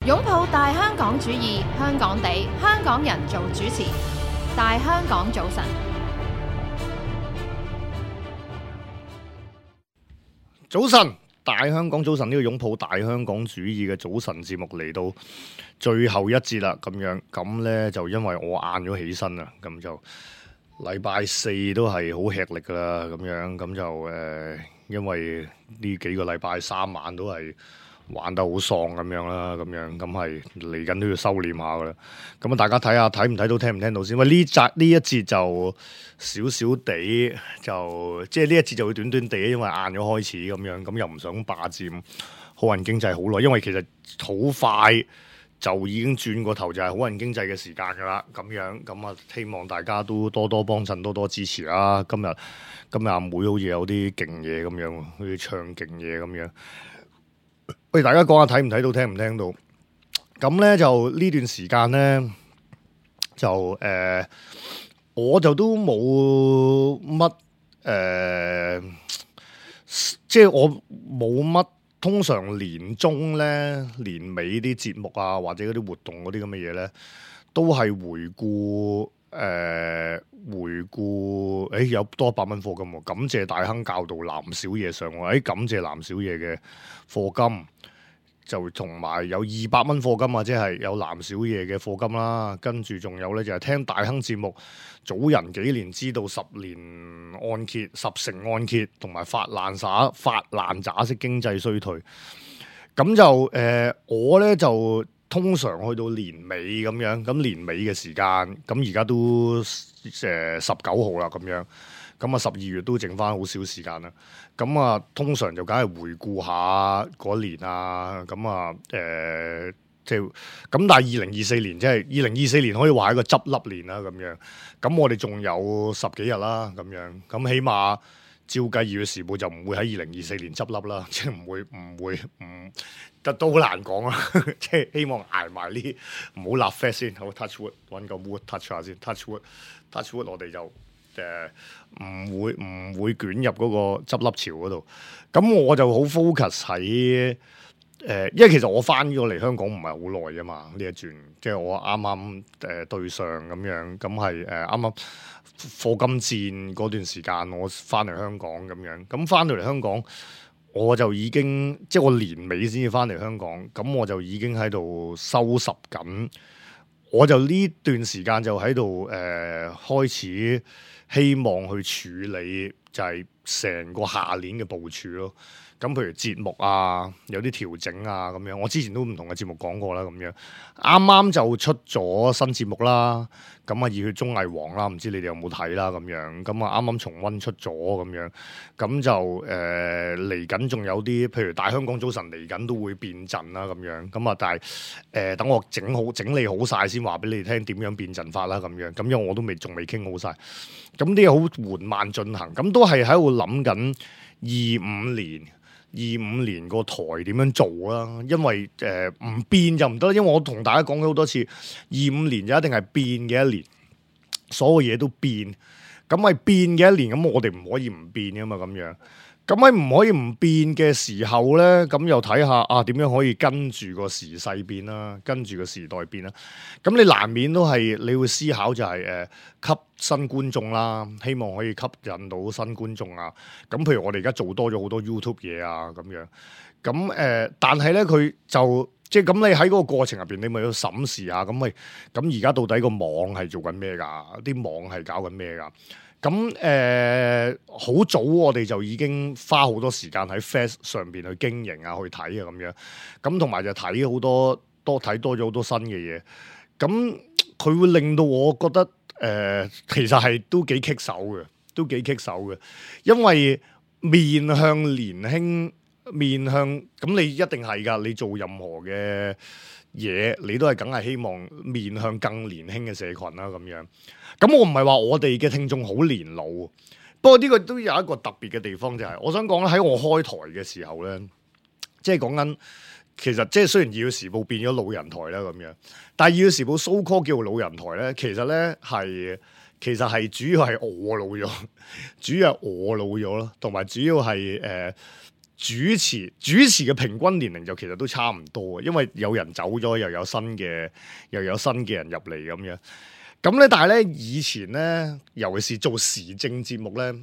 擁抱大香港主義，香港地，香港人做主持。大香港早晨，早晨，大香港早晨，呢個擁抱大香港主義嘅早晨節目嚟到最後一節啦，咁呢就因為我晏咗起身啦，咁就禮拜四都係好吃力噶啦，咁就因為呢幾個禮拜三晚都係玩得好喪咁樣啦，咁係嚟緊都要收斂下噶啦。咁啊，大家睇下睇唔睇到，聽唔聽到先？喂，呢一節就少少地，就即係呢一節就會短短地，因為晏咗開始咁又唔想霸佔好運經濟好耐，因為其實好快就已經轉過頭就係好運經濟嘅時間噶啦，咁啊，希望大家都多多幫襯，多多支持啦。今日阿妹好似有啲勁嘢咁樣，好似唱勁嘢咁樣。喂，大家講下睇唔睇到，聽唔聽到？咁咧就呢段時間咧，就我就都冇乜即係我冇乜。通常年中咧、年尾啲節目啊，或者嗰啲活動嗰啲咁嘅嘢咧，都係回顧有多100蚊課金喎，感謝大亨教導藍小爺上喎，感謝藍小爺嘅課金，就同埋有200蚊課金啊，即係有藍小爺嘅課金啦，跟住仲有咧就係聽大亨節目，早人幾年知道10年按揭、10成按揭，同埋發爛渣式經濟衰退，咁就我咧就通常去到年尾咁樣，咁年尾嘅時間，咁而家都19號啦咁樣。咁啊，12月都剩翻好少時間啦。咁啊，通常就梗係回顧下嗰年啊。咁啊，即係咁，但係2024年即係2024年可以話係一個執笠年啦。咁樣，咁我哋仲有10幾日啦。咁樣，咁起碼照計2月時報就唔會喺2024年執笠啦。即係唔會，都好難講啊。即係希望捱埋呢，唔好立 flag 先。好 touch wood， 揾個 wood touch 下先。touch wood，我哋就。唔會捲入嗰個執笠潮嗰度，咁我就好 focus 喺因為其實我翻咗嚟香港唔係好耐啫嘛，呢一轉即係我啱啱對上咁樣，咁係啱啱課金戰嗰段時間，我翻嚟香港咁樣，咁翻到嚟香港我就已經即係我年尾先至翻嚟香港，咁我就已經喺度收拾緊，我就呢段時間就喺度開始。希望去處理就係成個下年嘅部署咯。咁譬如節目啊，有啲調整啊咁樣。我之前都唔同嘅節目講過啦，咁樣啱啱就出咗新節目啦。咁啊，熱血綜藝王啦，唔知你哋有冇睇啦咁樣。咁啊，啱啱重溫出咗咁樣。咁就嚟緊仲有啲，譬如大香港早晨嚟緊都會變陣啦咁樣。咁啊，但係等我整理好晒先話俾你哋聽點樣變陣法啦咁樣。咁因為我都仲未傾好晒。咁啲嘢好緩慢進行。咁都係喺度諗緊25年個台點樣做啦？因為唔變就唔得，因為我同大家講咗好多次，25年就一定係變嘅一年，所有嘢都變，咁係變嘅一年，咁我哋唔可以唔變噶嘛，咁樣。咁喺唔可以唔變嘅時候咧，咁又睇下點樣可以跟住個時勢變啦，跟住個時代變啦。咁你難免都係你會思考就係吸新觀眾啦，希望可以吸引到新觀眾啊。咁譬如我哋而家做多咗好多 YouTube 嘢啊，咁樣。咁但係咧佢就即係咁，你喺嗰個過程入邊，你咪要審視下，咁而家到底個網係做緊咩㗎？啲網係搞緊咩㗎？咁好早我哋就已經花好多時間喺 Face 上邊去經營啊，去睇啊咁樣。咁同埋就睇好多咗好多新嘅嘢。咁佢會令到我覺得其實係都幾棘手嘅，因為面向年輕，咁你一定係㗎，你做任何嘅嘢，你都係梗係希望面向更年輕嘅社群啦咁樣。咁我唔係話我哋嘅聽眾好年老，不過呢個都有一個特別嘅地方，就係我想講咧，喺我開台嘅時候咧，即係講緊其實即係雖然《二月時報》變咗老人台啦咁樣，但係《二月時報》so call 叫老人台咧，其實咧係主要係我老咗，主要係我老咗咯，同埋主要係主持嘅平均年齡就其實都差唔多嘅，因為有人走咗，又有新嘅人入嚟咁樣。咁咧，但係咧以前咧，尤其是做時政節目咧，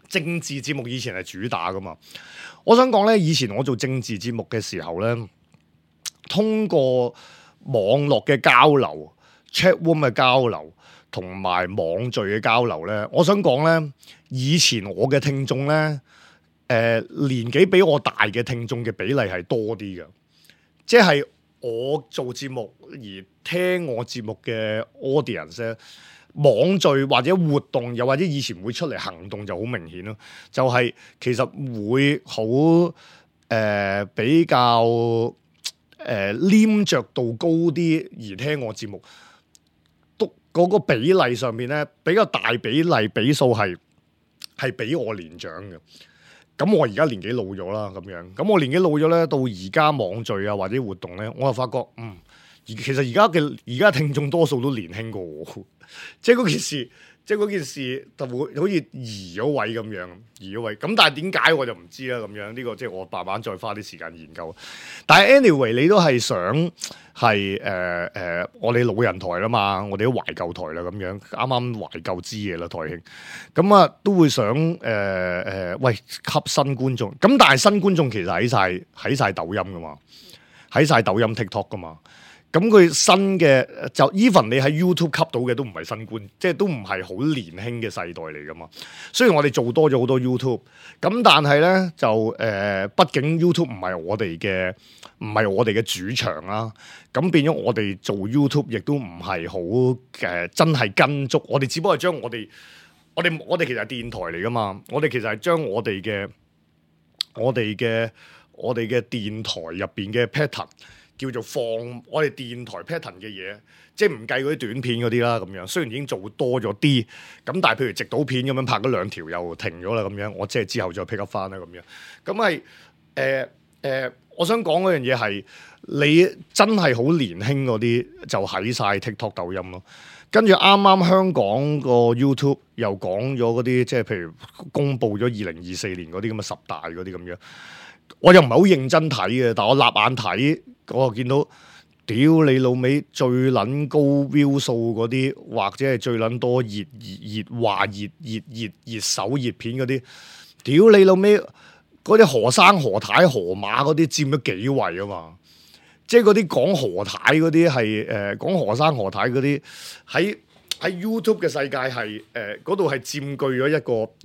政治節目以前係主打噶嘛。我想講咧，以前我做政治節目嘅時候咧，通過網絡嘅交流、chat room 嘅交流同埋網聚嘅交流咧，我想講咧，以前我嘅聽眾咧，年紀比我大嘅聽眾嘅比例係多啲嘅，即係我做節目而聽我節目嘅 audience 咧，網聚或者活動，又或者以前會出嚟行動就好明顯咯，就係、是、其實會好比較黏着度高啲而聽我節目，都嗰個比例上面咧比較大比數係比我年長嘅。咁我而家年紀老咗啦，咁樣，咁我年紀老咗咧，到而家網聚啊或者活動咧，我就發覺，其實而家聽眾多數都年輕過我，即係嗰件事就會好似移咗位咁樣，咁但係點解我就唔知啦，咁樣呢個即係我慢慢再花啲時間研究。但係 anyway， 你都係想係我哋老人台啦嘛，我哋都懷舊台啦咁樣，啱啱懷舊之夜啦台慶，咁啊都會想喂吸新觀眾，咁但係新觀眾其實喺晒抖音噶嘛，喺晒抖音 TikTok 噶嘛。咁佢新嘅就 even 你喺 YouTube 吸到嘅都唔係新觀，即係都唔係好年輕嘅世代嚟噶嘛。雖然我哋做多咗好多 YouTube，咁但係咧就畢竟 YouTube 唔係我哋嘅主場啦。咁變咗我哋做 YouTube 亦都唔係好真係跟足。我哋只不過係將我哋其實係電台嚟噶嘛。我哋其實係將我哋嘅電台入邊嘅 pattern。叫做放我哋電台 pattern 嘅嘢，即係唔計嗰啲短片嗰啲啦，咁樣雖然已經做多咗啲，咁但係譬如直島片咁樣拍咗2條又停咗啦，咁樣我即係之後再 pick up 翻啦，咁樣咁係我想講嗰樣嘢係你真係好年輕嗰啲就喺晒 TikTok 抖音咯，跟住啱啱香港個 YouTube 又講咗嗰啲，即係譬如公佈咗2024年嗰啲咁嘅10大嗰啲咁樣。我又唔係好認真睇嘅，但我立眼睇，我見到屌你老味最撚高 view 數嗰啲，或者係最撚多熱手熱片嗰啲，屌你老味嗰啲何生何太何馬嗰啲佔咗幾位啊嘛！即係嗰啲講何太嗰啲係講何生何太嗰啲喺 YouTube 嘅世界係嗰度係佔據咗一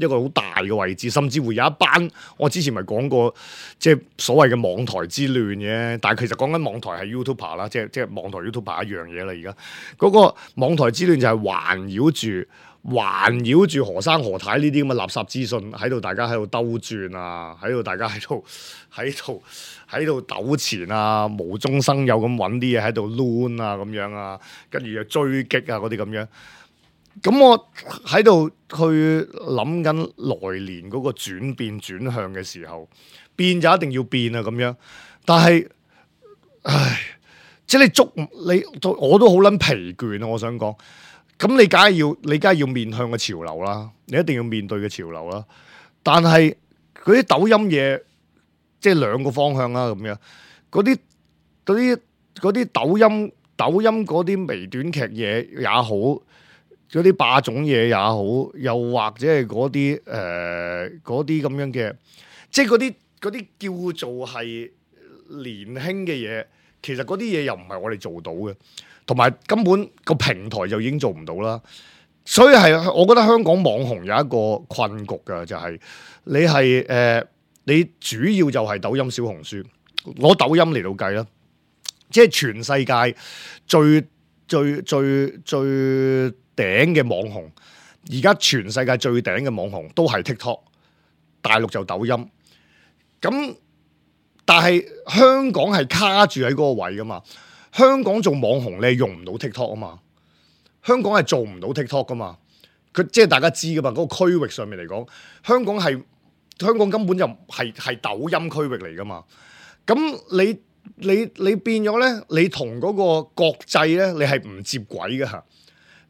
個好大嘅位置，甚至乎有一班我之前咪講過，即係所謂嘅網台之亂嘅，但係其實講緊網台係 YouTuber 啦，即係網台 YouTuber 一樣嘢啦。而家嗰個網台之亂就係環繞住何生何太呢啲咁嘅垃圾資訊喺度，大家喺度兜轉啊，大家喺度糾纏啊，無中生有咁揾啲嘢喺度攣啊咁樣啊，跟住又追擊啊嗰啲咁樣。咁我喺度去諗緊來年嗰個轉向嘅時候，變就一定要變啊咁樣。但係，即係我都好撚疲倦啊！我想講。咁你梗係要面向個潮流啦，你一定要面對嘅潮流啦。但係嗰啲抖音嘢，即係兩個方向啦咁樣。嗰啲抖音嗰啲微短劇嘢也好，嗰啲霸總嘢也好，又或者係嗰啲咁樣嘅，即係嗰啲叫做係年輕嘅嘢，其實嗰啲嘢又唔係我哋做到嘅。同埋根本個平台就已經做唔到啦，所以係我覺得香港網紅有一個困局㗎，就係你主要就係抖音、小紅書，攞抖音嚟到計啦，即係全世界最頂嘅網紅，而家全世界最頂嘅網紅都係 TikTok， 大陸就抖音，咁但係香港係卡住喺嗰個位㗎嘛。香港做網紅你係用唔到 TikTok 啊嘛，香港係做唔到 TikTok 噶嘛，佢即係大家知噶嘛，嗰個區域上面嚟講，香港根本就係抖音區域嚟噶嘛，咁你變咗咧，你同嗰個國際咧，你係唔接軌噶，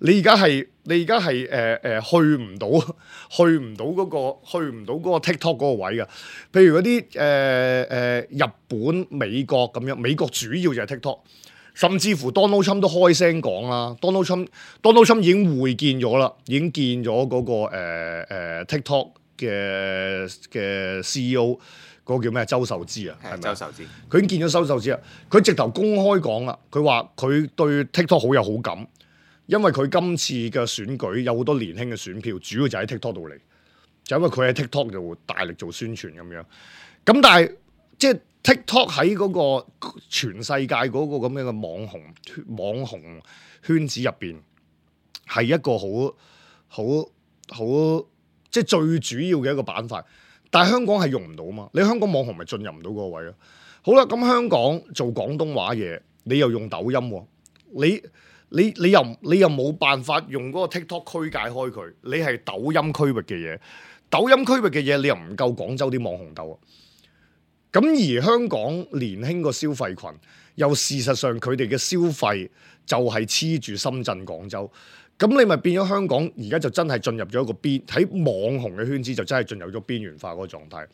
你而家係去唔到嗰個 TikTok 嗰個位㗎。譬如嗰啲日本、美國咁樣，美國主要就係 TikTok， 甚至乎 Donald Trump 都開聲講啦。Donald Trump 已經會見咗啦，已經見咗嗰個TikTok 嘅 CEO。嗰個叫咩？周受資啊，係咪？周受資，佢已經見咗周受資啊！佢直頭公開講啦，佢話佢對 TikTok 好有好感，因為佢今次嘅選舉有好多年輕嘅選票，主要就喺 TikTok 度嚟，就因為佢喺 TikTok 度大力做宣傳咁樣。咁但係即係 TikTok 喺嗰個全世界嗰個咁樣嘅網紅圈子入邊，係一個好即係最主要嘅一個板塊。但係香港係用唔到嘛？你香港網紅咪進入唔到嗰個位咯？好啦，咁香港做廣東話嘢，你又用抖音喎，你又冇辦法用嗰個 TikTok 區界開佢，你係抖音區域嘅嘢，抖音區域嘅嘢你又唔夠廣州啲網紅鬥啊！咁而香港年輕個消費群，又事實上佢哋嘅消費就係黐住深圳、廣州。咁你咪變咗香港而家就真係進入咗一個喺網紅嘅圈子就真係進入咗邊緣化嗰個狀態。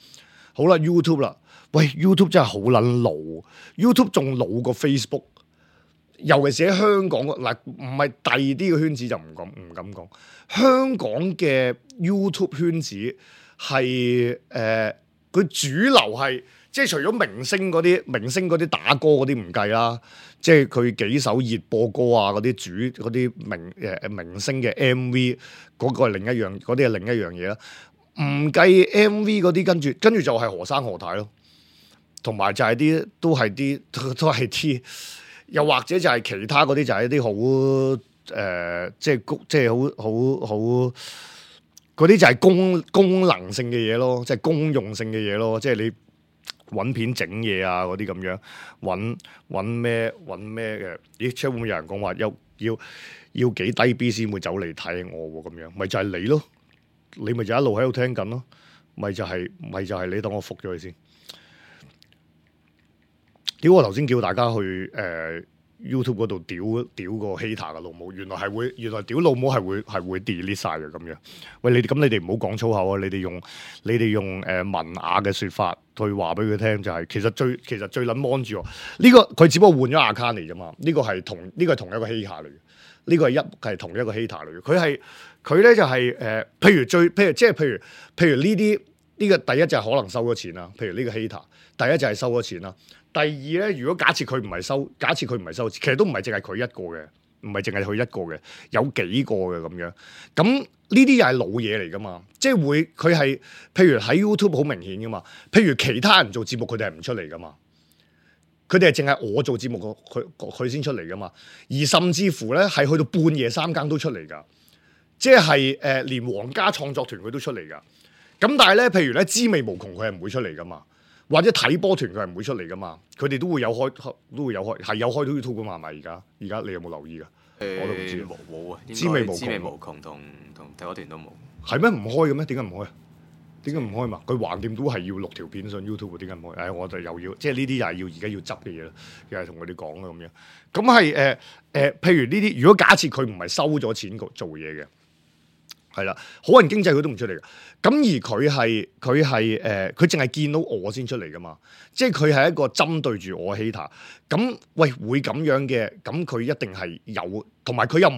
好啦 ，YouTube 啦，喂 YouTube 真係好撚老 ，YouTube 仲老過 Facebook， 尤其是喺香港嗱，唔係第二啲嘅圈子就唔敢講。香港嘅 YouTube 圈子係佢主流係即係除咗明星嗰啲打歌嗰啲唔計啦。即係佢幾首熱播歌啊，嗰啲明星嘅 MV 嗰個係另一樣，嗰啲係另一樣嘢啦。唔計 MV 嗰啲，跟住就係何生何太咯，同埋就係都係啲，又或者就係其他嗰啲就係一啲好即係好嗰啲就係功能性嘅嘢咯，即係公用性嘅嘢咯，即係你。揾片整嘢啊嗰啲咁樣，揾咩嘅？咦，出會唔會有人講話要幾低 B 先會走嚟睇我喎？咁樣咪就係你咯，你咪就一路喺度聽緊咯，咪就係你等我覆咗佢先。屌我頭先叫大家去YouTube 嗰度屌個 hater 嘅老母，原來屌老母係會 delete 晒嘅咁樣。喂，你哋唔好講粗口啊！你哋用文雅嘅説法去話俾佢聽，就係其實最撚 mon 住我呢個，佢只不過換咗 account 嚟啫嘛。呢個係同一個 hater 嚟嘅，呢個係同一個 hater 嚟嘅。佢咧就係譬如呢啲呢個第一就係可能收咗錢啦。譬如呢個 hater，第一就係收咗錢啦。第二咧，如果假設佢唔係收，其實都唔係淨係佢一個嘅，唔係淨係佢一個嘅，有幾個嘅咁樣。咁呢啲又係老嘢嚟噶嘛？即係佢係譬如喺 YouTube 好明顯噶嘛。譬如其他人做節目，佢哋係唔出嚟噶嘛。佢哋係淨係我做節目，佢先出嚟噶嘛。而甚至乎咧，係去到半夜三更都出嚟噶。即係連皇家創作團佢都出嚟噶。咁但係咧，譬如咧，滋味無窮佢係唔會出嚟噶嘛。或者睇波團佢係唔會出嚟噶嘛，佢哋都會有開，係有開到 YouTube 噶嘛，係咪？而家你有冇留意噶？我都唔知冇啊，滋味無窮同睇波團都冇。係咩？唔開嘅咩？點解唔開啊？點解唔開嘛？佢橫掂都係要錄條片上 YouTube， 點解唔開？我就又要即係呢啲又係要而家要執嘅嘢啦，又係同佢哋講啦咁樣。咁係譬如呢啲，如果假設佢唔係收咗錢做嘢嘅。係啦，好人經濟佢都唔出嚟嘅，咁而佢淨係見到我先出嚟噶嘛，即係佢係一個針對住我 hater，咁喂會咁樣嘅，咁佢一定係有，同埋佢又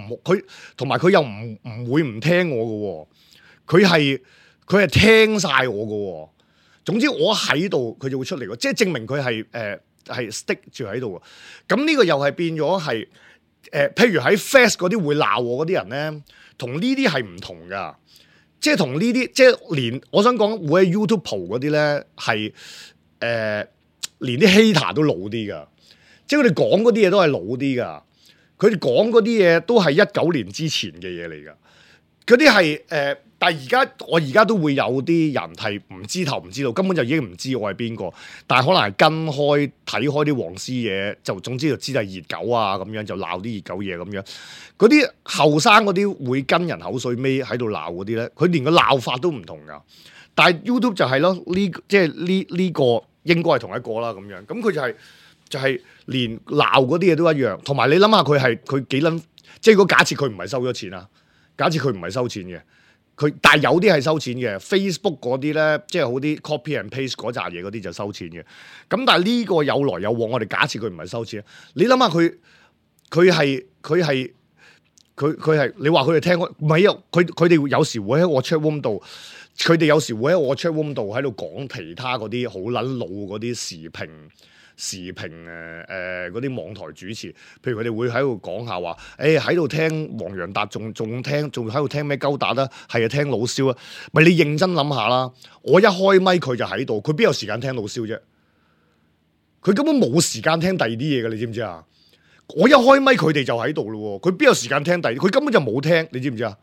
唔會唔聽我嘅，佢係聽晒我嘅，總之我喺度佢就會出嚟，即係證明佢係 stick 住喺度，咁呢個又係變咗係譬如喺 Fast 嗰啲會鬧我嗰啲人咧。同呢啲係唔同噶，即係同呢啲，即係連我想講會喺 YouTube 蒲嗰啲咧，係連啲 hater 都老啲噶，即係佢哋講嗰啲嘢都係老啲噶，佢哋講嗰啲嘢都係19年之前嘅嘢嚟噶，嗰啲係但係我而家都會有啲人係唔知頭唔知道，根本就已經唔知我係邊個，但係可能係跟開睇開啲黃絲嘢，就總之就知係熱狗啊咁樣，就鬧啲熱狗嘢咁樣。嗰啲後生嗰啲會跟人口水尾喺度鬧嗰啲咧，佢連個鬧法都唔同噶。但係 YouTube 就係咯，即係呢個應該係同一個啦咁樣。咁佢就係連鬧嗰啲嘢都一樣，同埋你諗下佢幾撚即係如果假設佢唔係收咗錢啊，假設佢唔係收錢嘅，但係有啲係收錢嘅 ，Facebook 嗰啲咧，即係好啲 copy and paste 嗰扎嘢嗰啲就收錢嘅。咁但係呢個有來有往，我哋假設佢唔係收錢，你諗下佢係，你話佢哋聽唔係啊？佢哋有時會喺我 chat room 度，佢哋有時會喺我 chat room 度喺度講其他嗰啲好撚老嗰啲時評嗰啲網台主持，譬如佢哋會喺度講下話，喺度聽黃洋達，仲喺度聽咩鳩達啦，係啊聽老蕭啊，咪你認真諗下啦，我一開咪佢就喺度，佢邊有時間聽老蕭啫？佢根本冇時間聽第二啲嘢嘅，你知唔知啊？我一開咪佢哋就喺度咯，佢邊有時間聽第二？佢根本就冇聽，你知唔知啊？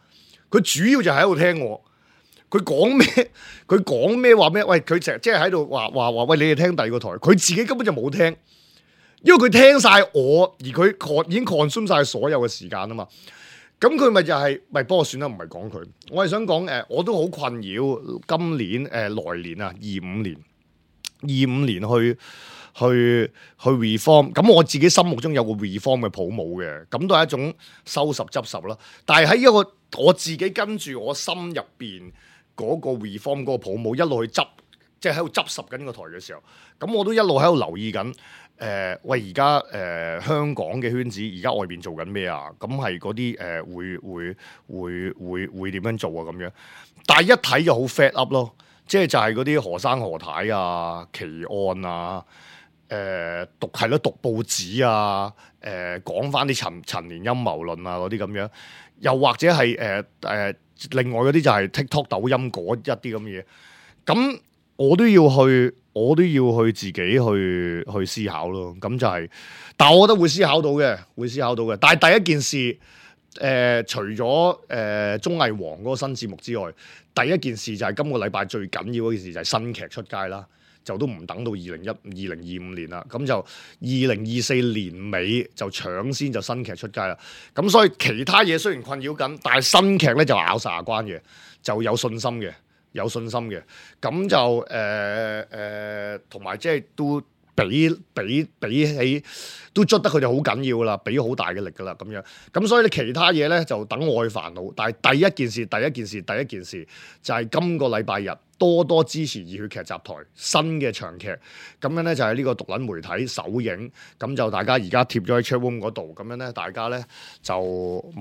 佢主要就喺度聽我。佢講咩？佢講咩話咩？喂，佢成日即係喺度話，喂，你哋聽第二個台，佢自己根本就冇聽，因為佢聽晒我，而佢已經 consume 晒所有嘅時間啊嘛。咁佢咪就係，不過算啦，唔係講佢。我係想講我都好困擾今年來年啊，25年去 reform。咁我自己心目中有個 reform 嘅泡沫嘅，咁都係一種收拾執拾啦。但係喺一個我自己跟住我心入邊嗰個 reform 嗰個泡沫一路去執，即係喺度執拾緊個台嘅時候，咁我都一路喺度留意緊。喂，而家香港嘅圈子，而家外邊做緊咩啊？咁係嗰啲會點樣做啊？咁樣，但係一睇就好 fed up 咯，即係就係嗰啲何生何太啊、奇案啊、讀報紙啊、講翻啲陳年陰謀論啊嗰啲咁樣，又或者係另外嗰啲就係 TikTok 抖音嗰一啲咁嘅嘢，咁我都要去自己去思考咯。咁就係，但係我覺得會思考到嘅。但係第一件事，除咗綜藝王嗰個新節目之外，第一件事就係今個禮拜最緊要嗰件事就係新劇出街啦。就都唔等到2025年啦，咁就2024年尾就搶先就新劇出街啦。咁所以其他嘢雖然困擾緊，但係新劇咧就咬晒牙關嘅，就有信心嘅。咁就同埋即係都比起都捽得佢哋好緊要啦，俾好大嘅力噶啦咁樣。咁所以你其他嘢咧就等我去煩惱。但係第一件事就係今個禮拜日多支持熱血劇集台新嘅長劇，咁樣咧就係呢個獨撚媒體首映，咁就大家而家貼咗喺 chat room 嗰度，咁樣咧大家咧就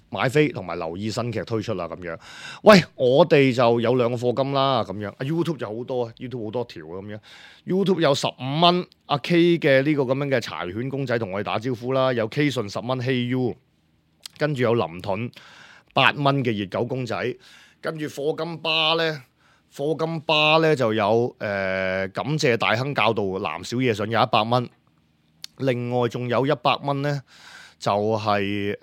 買飛同埋留意新劇推出啦咁樣。喂，我哋就有2個課金啦咁樣。YouTube 就好多，YouTube 好多條咁樣。YouTube 有15蚊，阿 K 嘅呢個咁樣嘅柴犬公仔同我哋打招呼啦。有 K 順10蚊，Hey You，跟住有林盾8蚊嘅熱狗公仔，跟住課金巴咧就有感謝大亨教導藍小野上有100蚊，另外仲有100蚊咧。就係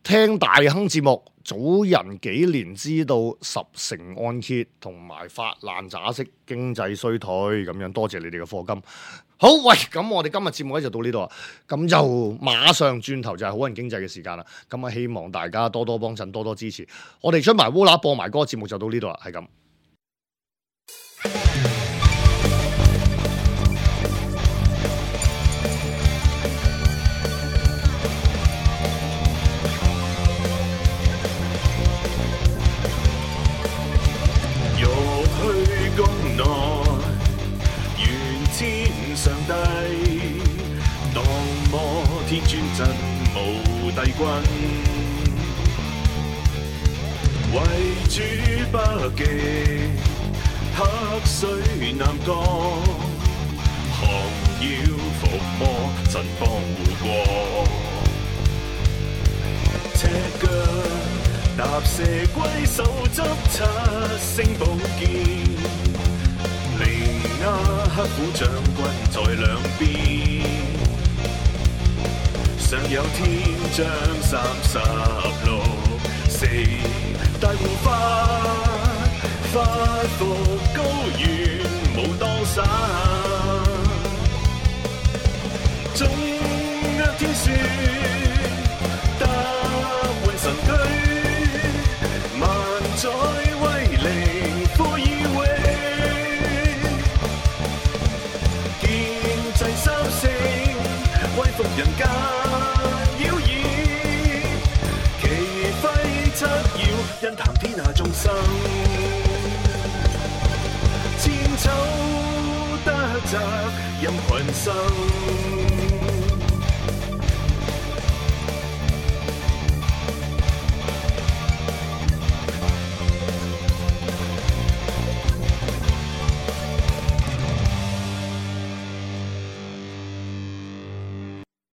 聽大亨節目，早人幾年知道10成按揭同埋發爛渣式經濟衰退咁樣，多謝你哋嘅課金。好，喂，咁我哋今日節目咧就到呢度啊，咁就馬上轉頭就係好人經濟嘅時間啦。咁啊，希望大家多多幫襯，多多支持。我哋出埋烏啦播埋歌節目就到呢度啦，係咁。上帝當摩天尊真無帝君，為主北極黑水南降，降妖伏魔神幫護國，赤腳踏蛇龜手執7星寶劍。亞黑虎將軍在兩邊，上有天將36、4大護法，發復高原無當散，縱若天雪踏滿神區，萬載威靈呼以榮。人間妖異，其揮則要因談天下眾生，千秋得責任群生。